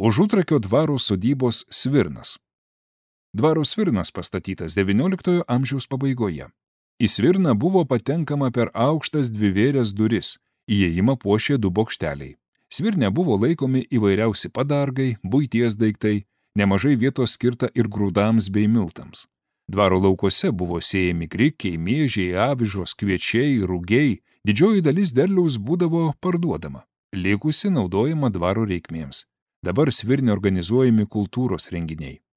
Užutrakio dvaro sodybos Svirnas. Dvaro Svirnas pastatytas XIX amžiaus pabaigoje. Į Svirną buvo patenkama per aukštas dvivėrės duris, įėjimą puošė 2 bokšteliai. Svirne buvo laikomi įvairiausi padargai, buities daiktai, nemažai vietos skirta ir grūdams bei miltams. Dvaro laukuose buvo sėjami grikiai, miežiai, avižos, kviečiai, rugiai, didžioji dalis derliaus būdavo parduodama, likusi naudojama dvaro reikmėms. Dabar Svirne organizuojami kultūros renginiai.